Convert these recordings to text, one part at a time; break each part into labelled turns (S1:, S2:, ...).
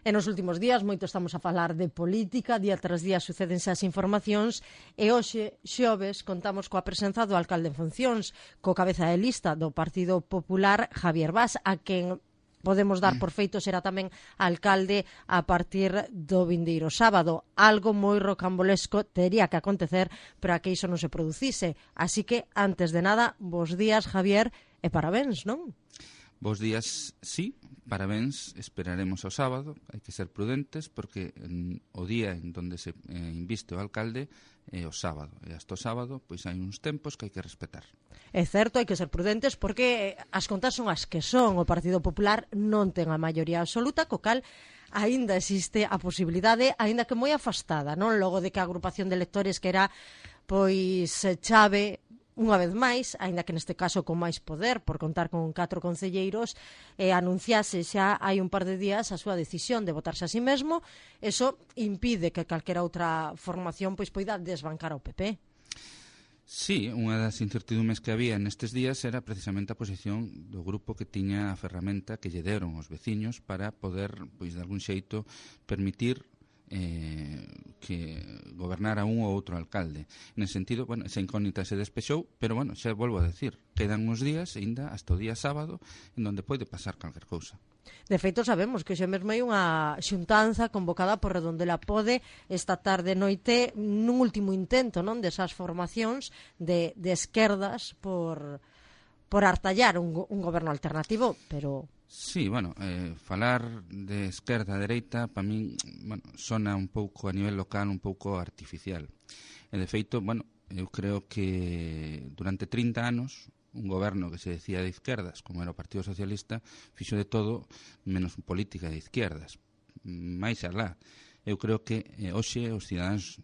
S1: E nos últimos días moito estamos a falar de política, día tras día sucédense as informacións e hoxe, xoves, contamos coa presenza do alcalde en funcións, co cabeza de lista do Partido Popular, Javier Bas, a quen podemos dar por feito será tamén alcalde a partir do vindeiro sábado. Algo moi rocambolesco tería que acontecer para que iso non se producise. Así que, antes de nada, bos días, Javier, e parabéns, non?
S2: Bos días, sí, parabéns, esperaremos ao sábado, hai que ser prudentes porque o día en donde se inviste o alcalde é o sábado, e hasta o sábado pois hai uns tempos que hai que respetar.
S1: É certo, hai que ser prudentes porque as contas son as que son, o Partido Popular non ten a maioría absoluta, co cal aínda existe a posibilidade, aínda que moi afastada, non? Logo de que a agrupación de electores que era pois chave unha vez máis, aínda que neste caso con máis poder, por contar con 4 concelleiros, anunciase xa hai un par de días a súa decisión de votarse a sí mesmo, eso impide que calquera outra formación pois poida desbancar ao PP.
S2: Sí, unha das incertidumes que había nestes días era precisamente a posición do grupo que tiña a ferramenta que lle deron os veciños para poder, pois de algún xeito, permitir que gobernara un ou outro alcalde. Nese sentido, bueno, esa incógnita se despexou, pero, bueno, xa volvo a decir, quedan uns días, ainda hasta o día sábado, en donde pode pasar calquer cousa.
S1: De feito, sabemos que xa mesmo hai unha xuntanza convocada por Redondela Pode esta tarde noite nun último intento, non, desas formacións de esquerdas por artallar un goberno alternativo, pero...
S2: Sí, bueno, falar de esquerda a dereita, para min, bueno, sona un pouco a nivel local, un pouco artificial. E de feito, bueno, eu creo que durante 30 anos un goberno que se decía de izquierdas, como era o Partido Socialista, fixo de todo menos política de izquierdas. Mais alá, eu creo que hoxe os cidadáns,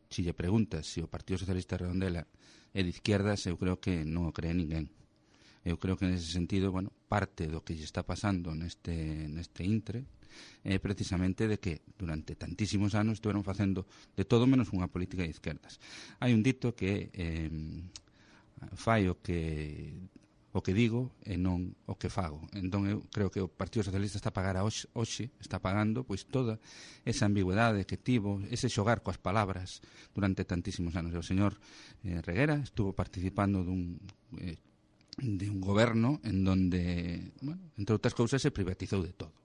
S2: se lle preguntas se o Partido Socialista de Redondela é de izquierdas, eu creo que non o cree ninguén. Eu creo que nese sentido, bueno, parte do que lle está pasando neste intre é precisamente de que durante tantísimos anos estuveron facendo de todo menos unha política de izquierdas. Hai un dito que fai o que digo e non o que fago. Entón eu creo que o Partido Socialista está a pagar hoxe, está pagando pois toda esa ambigüedade que tivo, ese xogar coas palabras durante tantísimos anos. O señor Reguera estuvo participando de un goberno en donde, bueno, entre outras cousas, se privatizou de todo.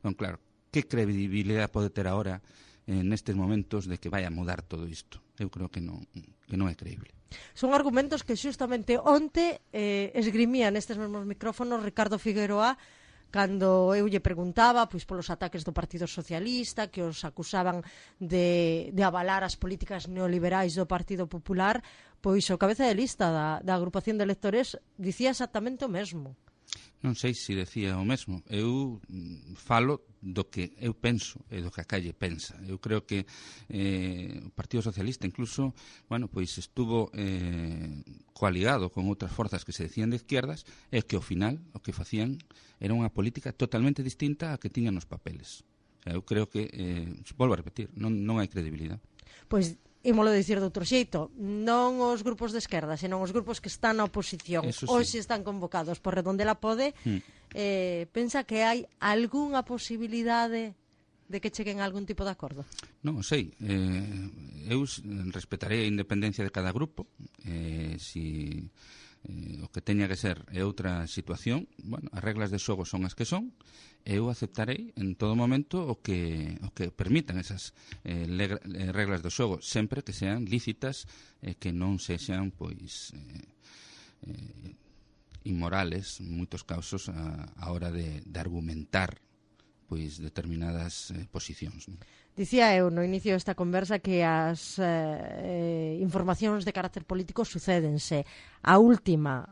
S2: Non, claro, que credibilidade pode ter agora nestes momentos de que vai a mudar todo isto? Eu creo que non é creíble.
S1: Son argumentos que xustamente onte esgrimía nestes mesmos micrófonos Ricardo Figueroa cando eu lle preguntaba pois polos ataques do Partido Socialista que os acusaban de avalar as políticas neoliberais do Partido Popular, pois o cabeza de lista da agrupación de electores dicía exactamente o mesmo.
S2: Non sei se decía o mesmo. Eu falo do que eu penso e do que a calle pensa. Eu creo que o Partido Socialista incluso, bueno, pois estuvo coaligado con outras forzas que se decían de izquierdas e que ao final o que facían era unha política totalmente distinta a que tiñan nos papeles. Eu creo que, volvo a repetir, non hai credibilidade.
S1: Pois ímolo dicir de outro xeito, non os grupos de esquerda, senón os grupos que están na oposición,
S2: sí,
S1: hoxe están convocados por Redondela Pode, pensa que hai algunha posibilidade de que cheguen a algún tipo de acordo?
S2: Non o sei, eu respetarei a independencia de cada grupo, o que teña que ser é outra situación. Bueno, as reglas de xogo son as que son, eu aceptarei en todo momento o que permitan esas reglas do xogo, sempre que sean lícitas e que non sexan pois inmorales en moitos casos a hora de argumentar pois determinadas posicións, non?
S1: Dicía eu no inicio desta conversa que as informacións de carácter político sucédense. A última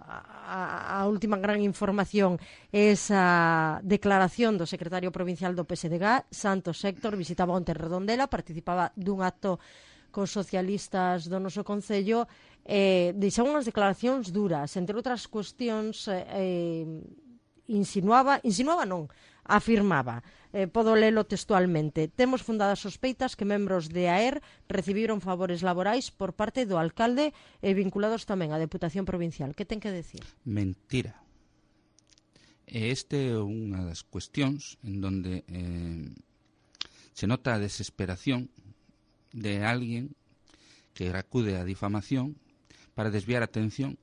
S1: gran información é esa declaración do secretario provincial do PSDG, Santos Héctor, visitaba onte Redondela, participaba dun acto cos socialistas do noso concello, deixou unhas declaracións duras, entre outras cuestións afirmaba, podo lelo textualmente: temos fundadas sospeitas que membros de AER recibiron favores laborais por parte do alcalde e vinculados tamén á Deputación Provincial. Que ten que decir?
S2: Mentira. E este é unha das cuestións en donde se nota a desesperación de alguén que acude á difamación para desviar a atención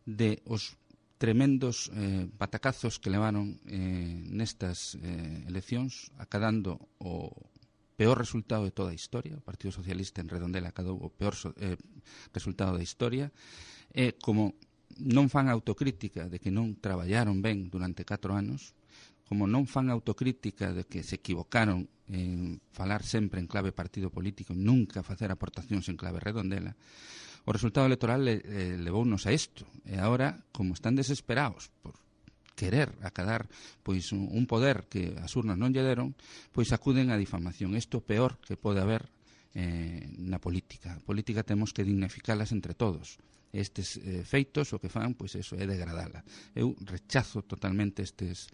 S2: de os tremendos batacazos que levaron nestas eleccións, acadando o peor resultado de toda a historia. O Partido Socialista en Redondela acadou o peor resultado da historia. Como non fan autocrítica de que non traballaron ben durante 4 anos, como non fan autocrítica de que se equivocaron en falar sempre en clave partido político, nunca facer aportacións en clave Redondela, o resultado electoral levounos a isto. E agora, como están desesperados por querer acadar pois un poder que as urnas non lle deron, pois acuden á difamación. Isto é o peor que pode haber na política. A política temos que dignificalas entre todos. Estes feitos o que fan, pois eso é degradala. Eu rechazo totalmente estes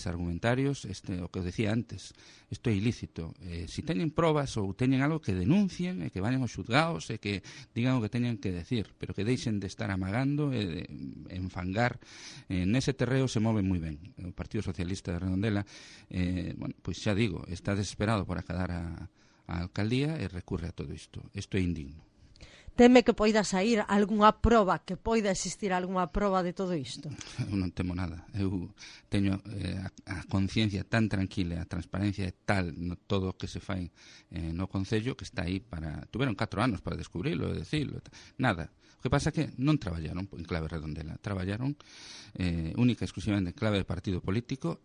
S2: argumentarios, o que eu decía antes, isto é ilícito. Se teñen probas ou teñen algo, que denuncien e que vayan aos xulgados e que digan o que teñen que decir, pero que deixen de estar amagando e de enfangar. Nese terreo se move moi ben o Partido Socialista de Redondela. Pois xa digo, está desesperado por acadar a alcaldía e recurre a todo isto. Isto é indigno.
S1: Teme que poida sair algunha proba, que poida existir algunha proba de todo isto?
S2: Eu non temo nada. Eu teño a conciencia tan tranquila, a transparencia é tal no todo o que se fai no Concello, que está aí para... Tuveron 4 anos para descubrilo e decirlo. Nada. O que pasa é que non traballaron en clave Redondela. Traballaron única e exclusivamente en clave de partido político.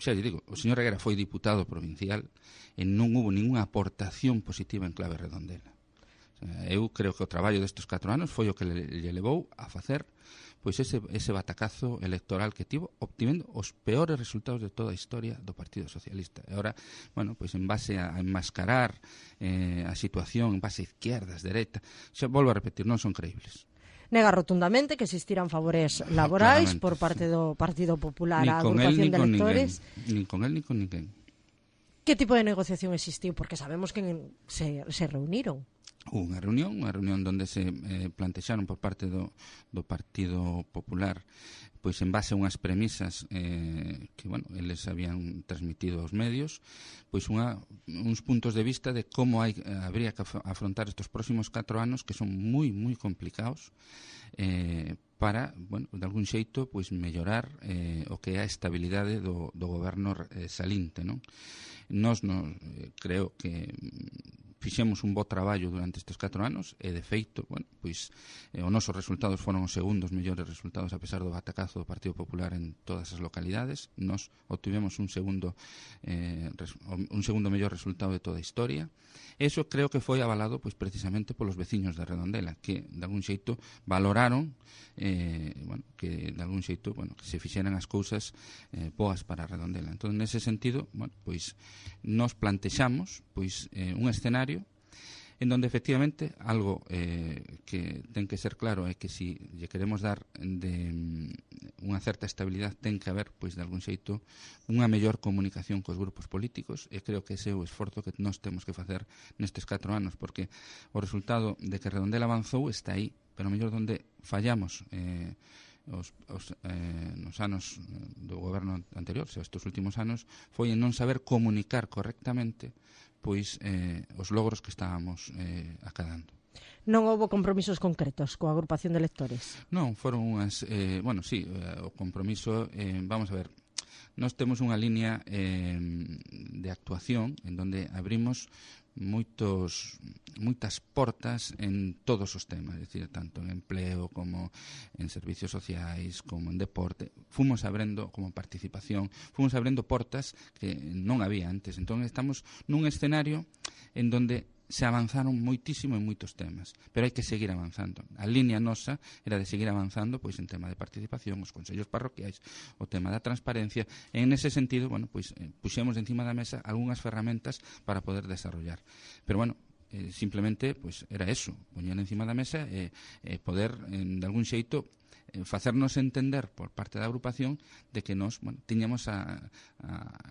S2: Xa lle digo, o señor Reguera foi diputado provincial e non hubo ninguna aportación positiva en clave Redondela. Eu creo que o traballo destes 4 anos foi o que lle levou a facer pois ese batacazo electoral que tivo, obtendo os peores resultados de toda a historia do Partido Socialista. E agora, pois en base a enmascarar a situación, en base a izquierdas, dereita, xa volvo a repetir, non son creíbles.
S1: Nega rotundamente que existiran favores laborais por parte do Partido Popular á agrupación de electores.
S2: Nin con el, nin con ninguén.
S1: Que tipo de negociación existiu? Porque sabemos que se reuniron.
S2: Unha reunión onde se plantexaron por parte do Partido Popular, pois en base a unhas premisas que, eles habían transmitido aos medios, pois uns puntos de vista de como habría que afrontar estes próximos 4 anos, que son moi, moi complicados, para, de algún xeito, pois mellorar o que é a estabilidade do goberno salinte, non? Nós creo que fixemos un bo traballo durante estes 4 anos e, de feito, pois os nosos resultados foron os segundos mellores resultados a pesar do batacazo do Partido Popular en todas as localidades. Nos obtivemos un segundo mellor resultado de toda a historia. Eso creo que foi avalado pois precisamente polos veciños de Redondela, que de algún xeito valoraron que de algún xeito que se fixeran as cousas boas para Redondela. Entón, nese sentido, pois nos plantexamos pois un escenario en donde efectivamente algo que ten que ser claro é que se lle queremos dar de unha certa estabilidade ten que haber, pois de algún xeito, unha mellor comunicación cos grupos políticos, e creo que ese é o esforzo que nós temos que facer nestes 4 anos, porque o resultado de que Redondela avanzou está aí, pero mellor donde fallamos nos anos do goberno anterior, estes últimos anos, foi en non saber comunicar correctamente pois os logros que estábamos acadando.
S1: Non houbo compromisos concretos coa agrupación de electores?
S2: Non, foron unhas... sí, o compromiso... vamos a ver, nós temos unha línea de actuación en donde abrimos moitas portas en todos os temas, é dicir, tanto en empleo como en servicios sociais, como en deporte. Fomos abrindo como participación, fomos abrindo portas que non había antes. Entón estamos nun escenario en donde se avanzaron moitísimo en moitos temas, pero hai que seguir avanzando. A línea nosa era de seguir avanzando pois en tema de participación, os consellos parroquiais, o tema da transparencia, e en ese sentido, pois puxemos encima da mesa algunhas ferramentas para poder desarrollar. Pero simplemente pois era eso, poñer encima da mesa e poder de algún xeito facernos entender por parte da agrupación de que nós tiñamos a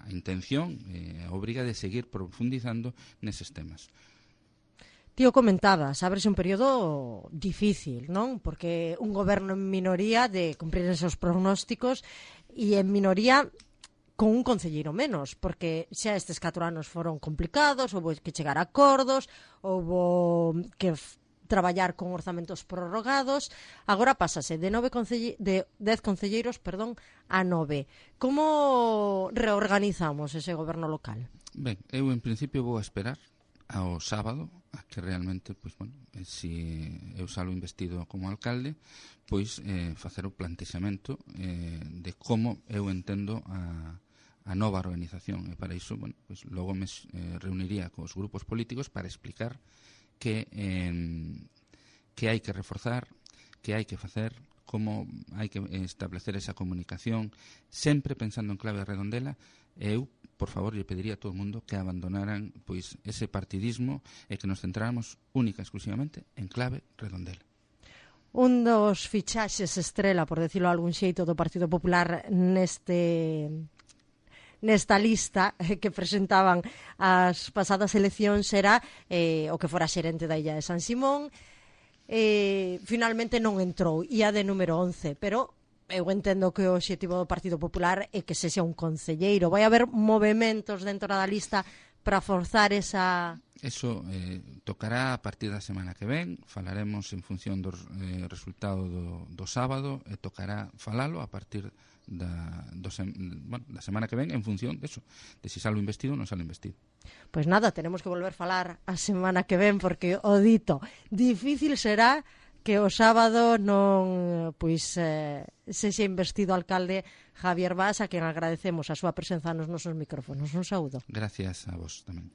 S2: intención, a obriga de seguir profundizando neses temas.
S1: Tío, comentabas, ábrese un período difícil, non? Porque un goberno en minoría de cumprir esos pronósticos e en minoría con un concelleiro menos, porque xa estes 4 anos foron complicados, houve que chegar a acordos, houve que traballar con orzamentos prorrogados, agora pásase de 10 concelleiros, a 9. Como reorganizamos ese goberno local?
S2: Ben, eu en principio vou a esperar ao sábado a que realmente, pois, bueno, se eu salo investido como alcalde, pois facer o plantexamento de como eu entendo a nova organización, e para iso, bueno, pois logo me reuniría cos grupos políticos para explicar que hai que reforzar, que hai que facer, como hai que establecer esa comunicación, sempre pensando en clave Redondela. E eu, por favor, lle pediría a todo o mundo que abandonaran pois ese partidismo e que nos centráramos única e exclusivamente en clave Redondela.
S1: Un dos fichaxes estrela, por decirlo de algún xeito, do Partido Popular nesta lista que presentaban as pasadas eleccións era o que fora xerente da Illa de San Simón. Finalmente non entrou, ia de número 11, pero eu entendo que o obxectivo do Partido Popular é que sexa un concelleiro. Vai haber movementos dentro da lista para forzar esa...
S2: Eso tocará a partir da semana que ven, falaremos en función do resultado do sábado, e tocará falalo a partir da semana que ven en función de eso, de si salo investido ou non salo investido.
S1: Pois nada, tenemos que volver a falar a semana que ven, porque o dito, difícil será que o sábado non sexa investido alcalde Javier Bas, a quen agradecemos a súa presenza nos nosos micrófonos. Un saúdo.
S2: Gracias a vos tamén.